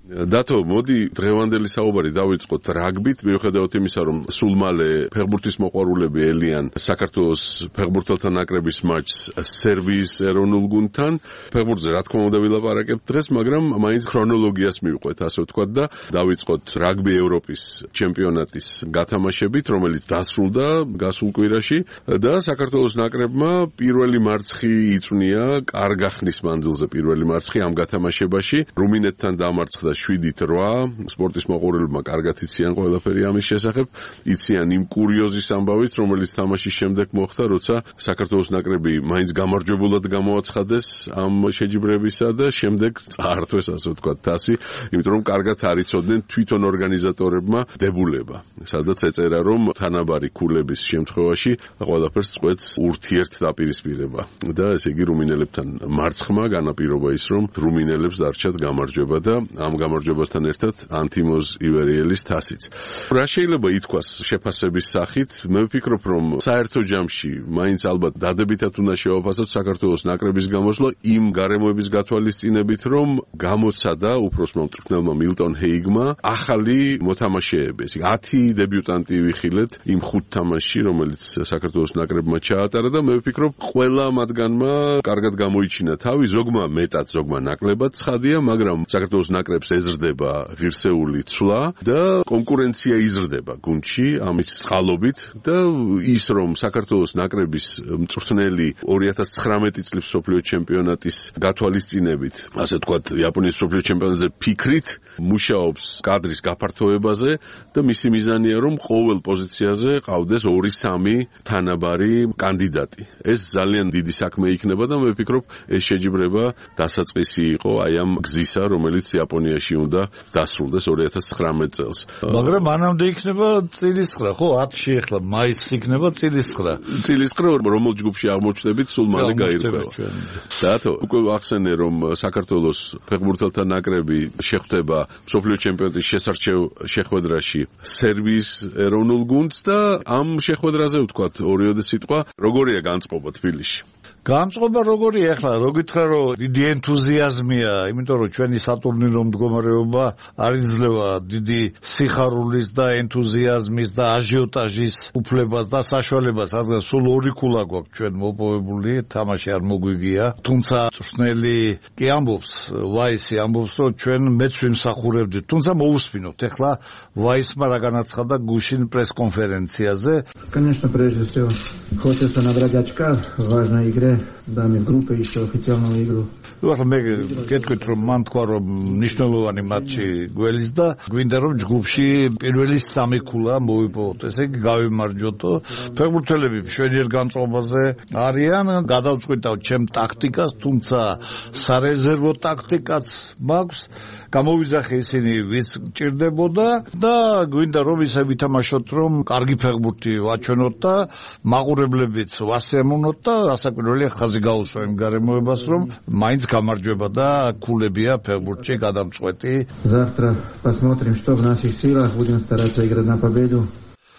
დათო, მოდი დღევანდელი საუბარი დავიწყოთ რაგბით, მიუხედავად იმისა, რომ სულ მალე ფეხბურთის მოყვარულები ელიან საქართველოს ფეხბურთელთა ნაკრების მატჩს სერბიის ეროვნულ გუნდთან. ფეხბურთზე რა თქმა უნდა ვილაპარაკებთ დღეს, მაგრამ მაინც ქრონოლოგიას მივყვეთ, ასე ვთქვათ და დავიწყოთ რაგბი ევროპის ჩემპიონატის გათამაშებით, რომელიც დასრულდა გასულ კვირაში და საქართველოს ნაკრებმა პირველი მარცხი იწვნია კარგ ახნის მანძილზე პირველი მარცხი ამ გათამაშებაში. რუმინეთთან დამარცხდა 7-8. სპორტის მოყვარულებმა კარგად იციან ყველაფერი ამის შესახებ. იციან იმ კურიოზის ამბავით, რომელიც თამაშის შემდეგ მოხდა, როცა საქართველოს ნაკრები მაინც გამარჯვებულად გამოაცხადეს ამ შეჯიბრებისა და შემდეგ წაართვეს, ასე ვთქვათ, თასი, იმიტომ რომ კარგად არ იცოდნენ თვითონ ორგანიზატორებმა დებულება. სადაც ეწერა, რომ თანაბარი ქულების შემთხვევაში ყველაფერს წყვეტს ურთიერთდაპირისპირება. და ესე იგი რუმინელებთან მარცხმა განაპირობა ის, რომ რუმინელებს დარჩათ გამარჯვება და ამ გამარჯვებასთან ერთად ანთიმოზ ივერიელის თასიც. რა შეიძლება ითქვას შეფასების სახით? მე ვფიქრობ, რომ საერთო ჯამში მაინც ალბათ დადებითად უნდა შევაფასოთ საქართველოს ნაკრების გამოსვლა იმ გარემოების გათვალისწინებით, რომ გამოცადა უფროსმა მწვრთნელმა მილტონ ჰეიგმა ახალი მოთამაშეები. 10 დებიუტანტი ვიხილეთ იმ 5 თამაშში, რომელიც საქართველოს ნაკრებმა ჩაატარა და მე ვფიქრობ, ყველა მათგანმა კარგად გამოიჩინა თავი, ზოგმა მეტად, ზოგმა ნაკლებად ცხადია, მაგრამ საქართველოს ნაკრებს ეზრდება ღირსეული ცვლა და კონკურენცია იზრდება გუნდში ამის წყალობით და ის, რომ საქართველოს ნაკრების მწვრთნელი 2019 წლის მსოფლიო ჩემპიონატის გათვალისწინებით, ასე ვთქვათ, იაპონიის მსოფლიო ჩემპიონატზე ფიქრით მუშაობს კადრის გაფართოებაზე და მისი მიზანია, რომ ყოველ პოზიციაზე ყავდეს 2-3 თანაბარი კანდიდატი. ეს ძალიან დიდი საქმე იქნება და მე ვფიქრობ, ეს შეჯიბრება დასაწყისი იყო აი ამ გზისა, რომელიც იაპონიაში უნდა დასრულდეს 2019 წელს. მაგრამ მანამდე იქნება წილისხრა, ხო? 10-ში ახლა მაისს იქნება წილისხრა. წილისხრა რომელ ჯგუფში აღმოჩნდებით, სულ მალე გაირკვევა. დათო, უკვე ახსენე, რომ საქართველოს ფეხბურთელთა ნაკრები შეხვდება მსოფლიო ჩემპიონატის შესარჩევ შეხვედრაში სერბიის ეროვნულ გუნდს და ამ შეხვედრაზე ვთქვათ ორიოდე სიტყვა, როგორია განწყობა თბილისში? განწყობა როგორია ახლა, რო გითხრა, რომ დიდი ენთუზიაზმია, იმიტომ რომ ჩვენი სატურნირო მდგომარეობა არ იძლევა დიდი სიხარულის და ენთუზიაზმის და აჟიოტაჟის უფლებას და საშუალებას, რადგან სულ 2 ქულა გვაქვს ჩვენ მოპოვებული, თამაში არ მოგვიგია. თუმცა მწვრთნელი კი ამბობს, ვაისი ამბობს, რომ ჩვენ მეც ვიმსახურებდით. თუმცა მოусმინოთ ახლა ვაისმა რა განაცხადა გუშინ პრესკონფერენციაზე. Конечно, прежде всего, хочется набрать очка, важная игра. Даме в группе еще официальную игру. ახლა მე გეტყვით, რომ მან თქვა, რომ მნიშვნელოვანი მატჩი გველის და გვინდა, რომ ჯგუფში პირველი 3 ქულა მოვიპოვოთ. ესე იგი გავიმარჯვოთ. ფეხბურთელები მშვენიერ განწყობაზე არიან, გადავწყვიტავ ჩემ ტაქტიკას, თუმცა სარეზერვო ტაქტიკაც მაქვს. გამოვიძახე ისინი, ვის ჭირდებოდა და გვინდა, რომ ისე ვითამაშოთ, რომ კარგი ფეხბურთი ვაჩვენოთ და მაყურებლებიც ვასიამოვნოთ და რასაკვირველია ხაზი გაუსვა იმ გარემოებას, რომ მაინც გამარჯვება და ქულებია ფეხბურთში გადამწყვეტი. Завтра посмотрим, что в наших силах, будем стараться играть на победу.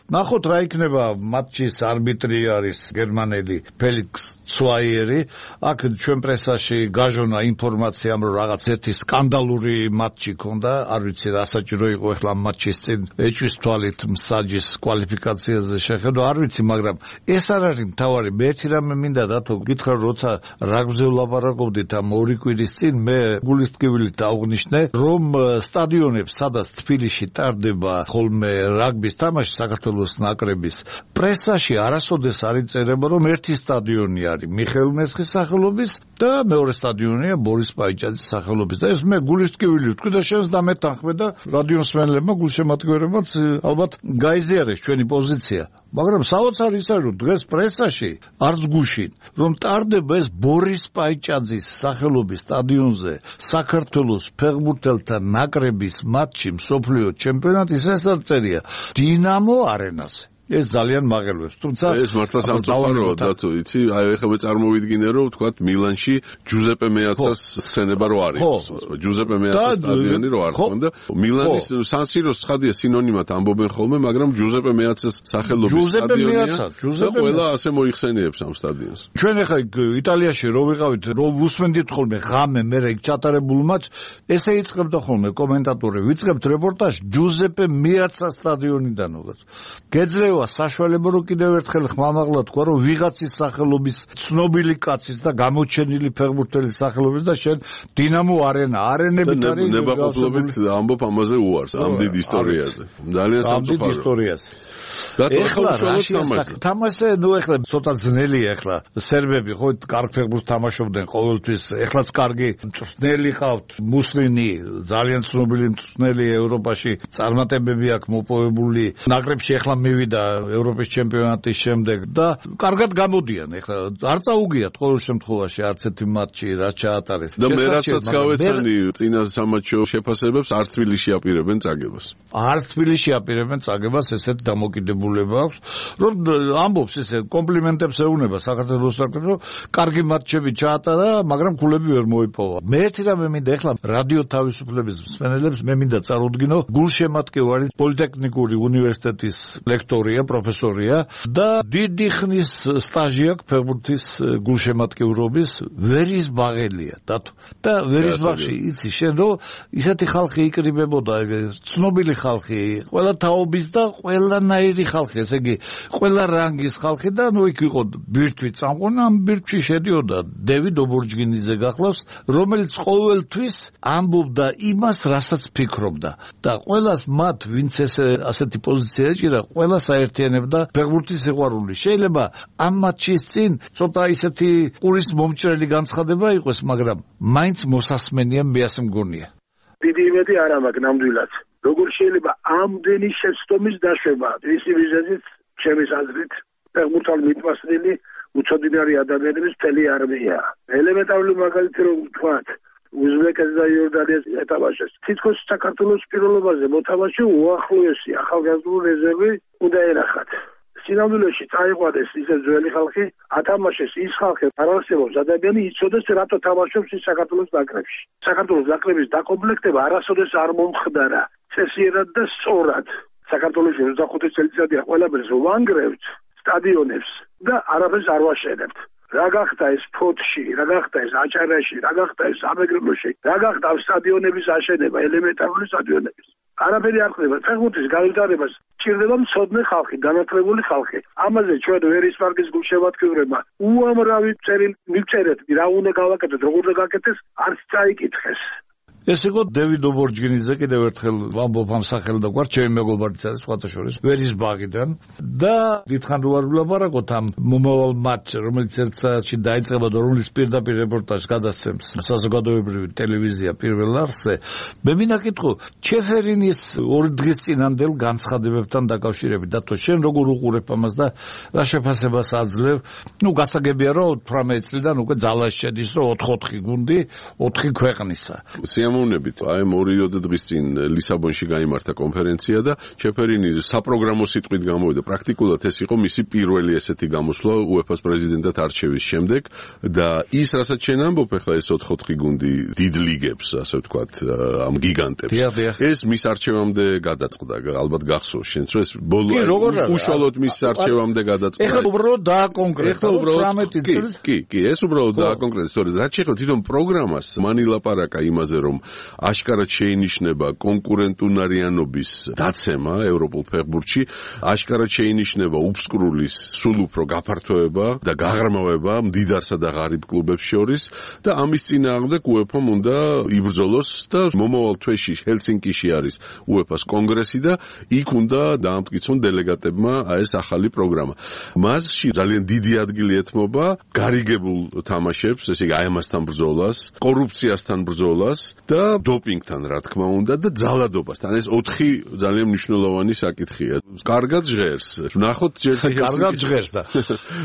ნახოთ რა იქნება მატჩის არბიტრი არის გერმანელი ფელიქს ცვაიერი. აქ ჩვენ პრესაში გაჟონა ინფორმაცია, რომ რაღაც ერთი სკანდალური მატჩი ქონდა, არ ვიცი რა საჭირო იყო ახლა მატჩის წინ ეჭვის თვალით მსაჯის კვალიფიკაციაზე შეხედო, არ ვიცი, მაგრამ ეს არ არის მთავარი. მე ერთი რამე მინდა დათო გითხრა, როცა რაგბზე ვლაპარაკობდით ამ 2 კვირის წინ, მე გულისტკივილით აღვნიშნე, რომ სტადიონებს, სადაც თბილისში ტარდება ხოლმე რაგბის თამაში საქართველოს ნაკრების პრესაში არასოდეს არ იწერება, რომ ერთი სტადიონი არის მიხეილ მესხის სახელობის და მეორე სტადიონია ბორის პაიჭაძის სახელობის და ეს მე გულისტკივილი ვთქვი და შენს დამეთანხმე და რადიოსმენლებმა გულშემატკივრებმაც ალბათ გაიზიარეს ჩვენი პოზიცია. მაგრამ საოცარი ის არის, რომ დღეს პრესაში არც გუშინ, რომ ტარდება ეს ბორის პაიჭაძის სახელობის სტადიონზე საქართველოს ფეხბურთელთა ნაკრების მატჩი მსოფლიო ჩემპიონატის, ეს არ წერია დინამო არენაზე. ეს ძალიან მაღელვებს. თუმცა ეს მართლა სამწუხაროა დათო, იცი? აი ეხლა მე წარმოვიდგინე რომ ვთქვათ მილანში ჯუზეპე მეაცას ხსენება რო არის. ჯუზეპე მეაცას სტადიონი რო არ ხონდა. მილანის სან-სიროს ცხადია სინონიმად ამბობენ ხოლმე, მაგრამ ჯუზეპე მეაცას სახელობის სტადიონია. ყველა ასე მოიხსენიებს ამ სტადიონს. ჩვენ ეხლა იტალიაში რო ვიყავით, რო ვუსმენდით ხოლმე ღამე მე იქ ჩატარებულ მატჩს, ესე იწყებდა ხოლმე კომენტატორი, ვიწყებთ რეპორტაჟს ჯუზეპე მეაცას სტადიონიდანაც. გეძლევა საშუალება რომ კიდევ ერთხელ ხმამაღლა თქვა რომ ვიღაცის სახელობის ცნობილი კაცის და გამოჩენილი ფეხბურთელის სახელობის და შენ დინამო არენებით არის ნებაყოფლობით ამბობ ამაზე უარს ამ დიდ ისტორიაზე. ძალიან სამწუხაროა. ეხლა თამაშზე ნუ ეხლა ცოტა ძნელია ეხლა სერბები ხო კარგ ფეხბურთს თამაშობდნენ ყოველთვის ეხლაც კარგი მწვრთნელი ყავთ მუსლინი ძალიან ცნობილი მწვრთნელი ევროპაში წარმატებები აქვს მოპოვებული ნაკრებში ეხლა მივიდა ევროპის ჩემპიონატის შემდეგ და კარგად გამოდიან ეხლა არ წაუგიათ ყოველ შემთხვევაში არც ერთი მატჩი რაც ჩაატარეს და მე რასაც გავეცანი წინა სამატჩო შეფასებებს არც თბილისში აპირებენ წაგებას ესეთ დამოკიდებულება აქვს რომ ამბობს ესე კომპლიმენტებს ეუნება საქართველოს საკრებულო კარგი მატჩები ჩაატარა მაგრამ გულები ვერ მოიპოვა მე ერთი რამე მინდა ეხლა რადიო თავისუფლების მსმენელებს მე მინდა წარუდგინო გულშემატკივარი პოლიტექნიკური უნივერსიტეტის ლექტორია პროფესორია და დიდი ხნის სტაჟი აქვს ფეხბურთის გულშემატკივრობის ვერისბაღელია და ვერისბაღში იცი შენ რომ ისეთი ხალხი იკრიბებოდა ცნობილი ხალხი ყველა თაობის და ყველანაირი ხალხი ესე იგი ყველა რანგის ხალხი და ნუ იქ იყო ბირთვი წამყვანი ამ ბირთვში შედიოდა დევიდ ობორჯგინიძე გახლავს რომელიც ყოველთვის ამბობდა იმას რასაც ფიქრობდა და ყველას მათ ვინც ასეთი პოზიცია ეჭირა ყველას აერთიანებდა ფეხბურთის სიყვარული შეიძლება ამ მატჩის წინ ცოტა ისეთი ყურის მომჭრელი განცხადება იყოს მაგრამ მაინც მოსასმენია მე ასე მგონია დიდი იმედი არ აქვს ნამდვილად როგორ შეიძლება ამდენი შეცდომის დაშვება ისი ვიზიტით ჩემის აზრით ფეხბურთალ მიტვასწრილი უცოდინარი ადამიანების მთელი არმია ელემენტარული მაგალითი რომ ვთქვათ უზბეკეთს და იორდანიას ეთამაშეს თითქოს საქართველოს პირველობაზე მოთამაშე უახლოესი ახალგაზრდული რეზერვი უნდა ერახათ სინამდვილეში წაიყვანეს ისე ძველი ხალხი ათამაშეს ის ხალხი არ არსებობს ადამიანი იცოდეს რატო თამაშობს ის საქართველოს ნაკრებში საქართველოს ნაკრების დაკომპლექტება არასოდეს არ მომხდარა წესიერად და სწორად საქართველოს 25 წელიწადია ყველაფერს ვანგრევთ სტადიონებს და არაფერს არ ვაშენებთ რა გახდა ეს ფოთში, რა გახდა ეს აჭარაში, რა გახდა ეს სამეგრელოში, რა გახდა სტადიონების აშენება, ელემენტარული სტადიონების. არაფერი არ ხდება. ფეხბურთის განვითარებას სჭირდება მცოდნე ხალხი, განათლებული ხალხი. ამაზე ჩვენ ვერისბაღის გულშემატკივრებმა უამრავი წერილი მივწერეთ, რა უნდა გავაკეთოთ, როგორ უნდა გაკეთდეს, არც წაიკითხეს. ეს იყო დევიდ ობორჯგინიძე კიდევ ერთხელ ვამბობ ამ სახელს და გვარ ჩემი მეგობარიც არის სხვათა შორის ვერისბაღიდან და დიდხან ვარ ვლაპარაკობთ ამ მომავალ მატჩზე რომელიც ერთ საათში დაიწყება და რომლის პირდაპირ რეპორტაჟს გადასცემს საზოგადოებრივი ტელევიზია პირველ არხზე მე მინდა კითხო ჩეფერინის ორი დღის წინანდელ განცხადებებთან დაკავშირებით დათო შენ როგორ უყურებ ამას და რა შეფასებას აძლევ ნუ გასაგებია რომ 18 წლიდან უკვე ძალაში შედის რომ 4-4 გუნდი 4 ქვეყნისა მომნებით აი 2 დღის წინ ლისაბონში გაიმართა კონფერენცია და ჩეფერინი საპროგრამო სიტყვით გამოვიდა პრაქტიკულად ეს იყო მისი პირველი ესეთი გამოსვლა UEFA-ს პრეზიდენტად არჩევის შემდეგ და ის რასაც შენ ამბობ ახლა ეს 4-4 გუნდი დიდ ლიგებს ასე ვთქვათ ამ გიგანტებს ეს მის არჩევამდე გადაწყდა ალბათ გახსოვს შენც რომ ეს ბოლო უშუალოდ მის არჩევამდე გადაწყდა ეხლა უბრალოდ დააკონკრეტა 18 წელს კი ეს უბრალოდ დააკონკრეტა სწორედ რაც შეეხება თვითონ პროგრამას მანილაპარაკა იმაზე რომ აშკარად შეინიშნება კონკურენტუნარიანობის დაცემა ევროპულ ფეხბურთში, აშკარად შეინიშნება უფსკრულის სულ უფრო გაფართოება და გაღრმავება მდიდარსა და ღარიბ კლუბებს შორის და ამის წინააღმდეგ UEFA-მ უნდა იბრძოლოს და მომავალ თვეში ჰელსინკიში არის UEFA-ს კონგრესი და იქ უნდა დაამტკიცონ დელეგატებმა ეს ახალი პროგრამა. მასში ძალიან დიდი ადგილი ეთმობა გარიგებულ თამაშებს, ესე იგი აი ამასთან ბრძოლას, კორუფციასთან ბრძოლას და და დოპინგთან რა თქმა უნდა და ძალადობასთან. ეს 4 ძალიან მნიშვნელოვანი საკითხია. კარგად ჟღერს. ვნახოთ ჯერ კარგად ჟღერს და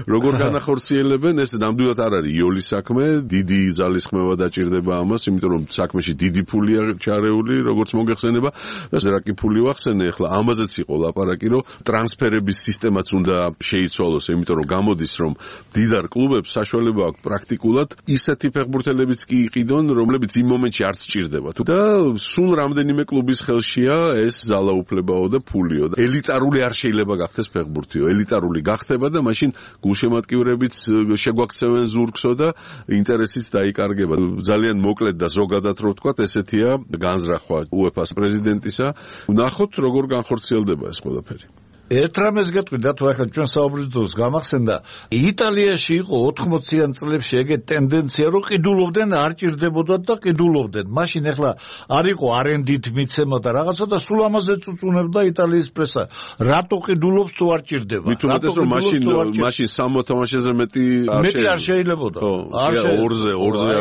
როგორ განახორციელებენ ეს ნამდვილად არ არის იოლის საქმე, დიდი ძალისხმევა დაჭირდება ამას, იმიტომ რომ საქმეში დიდი ფულია ჩარეული, როგორც მოგეხსენება და ზრაკი ფული ვახსენე, ახლა ამაზეც იყო ლაპარაკი, რომ ტრანსფერების სისტემაც უნდა შეიცვალოს, იმიტომ რომ გამოდის, რომ დიდარ კლუბებს საშუალება აქვს პრაქტიკულად ისეთი ფეხბურთელებიც კი იყიდონ, რომლებიც იმ მომენტში არც სჭირდება. და სულ რამდენიმე კლუბის ხელშია ეს ძალაუფლებაო და ფულიო. ელიტარული არ შეიძლება გახდეს ფეხბურთიო. ელიტარული გახდება და მაშინ გულშემატკივრებიც შეგვაქცევენ ზურგსო და ინტერესიც დაიკარგება. ძალიან მოკლედ და ზოგადად რო ვთქვათ, ესეთია განზრახვა UEFA-ს პრეზიდენტისა. ვნახოთ როგორ განხორციელდება ეს ყველაფერი. ერთ რამეს გეტყვით, თუ ახლა ჩვენ საუბრობთ დროს გამახსენდა, იტალიაში იყო 80-იან წლებში ეგეთ ტენდენცია, რომ ყიდულობდნენ, არ ჭირდებოდათ და ყიდულობდნენ. მაშინ ახლა არ იყო არენდით მიცემა და რაღაცა და სულ ამაზე წუწუნებდა იტალიის პრესა. რატო ყიდულობს თუ არ ჭირდება? მით უმეტეს რომ მაშინ 60 თამაშეზე მეტი არ შეიძლებოდა. ორზე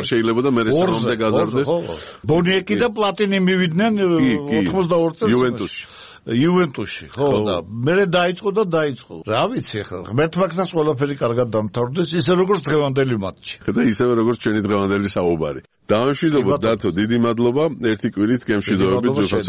არ შეიძლებოდა, მე რესტავრამდე გაზარდეს. ბონიეკი და პლატინი მივიდნენ 82 წელს იუვენტუსში, ხო და მე დაიწყო. რა ვიცი ახლა, ღმერთმაგნას ყველაფერი კარგად დამთავრდეს, ისე როგორც დღევანდელი მატჩი. და ისევე როგორც ჩვენი დღევანდელი საუბარი. დამშვიდობოთ დათო, დიდი მადლობა. ერთი კვირით გემშვიდობებით.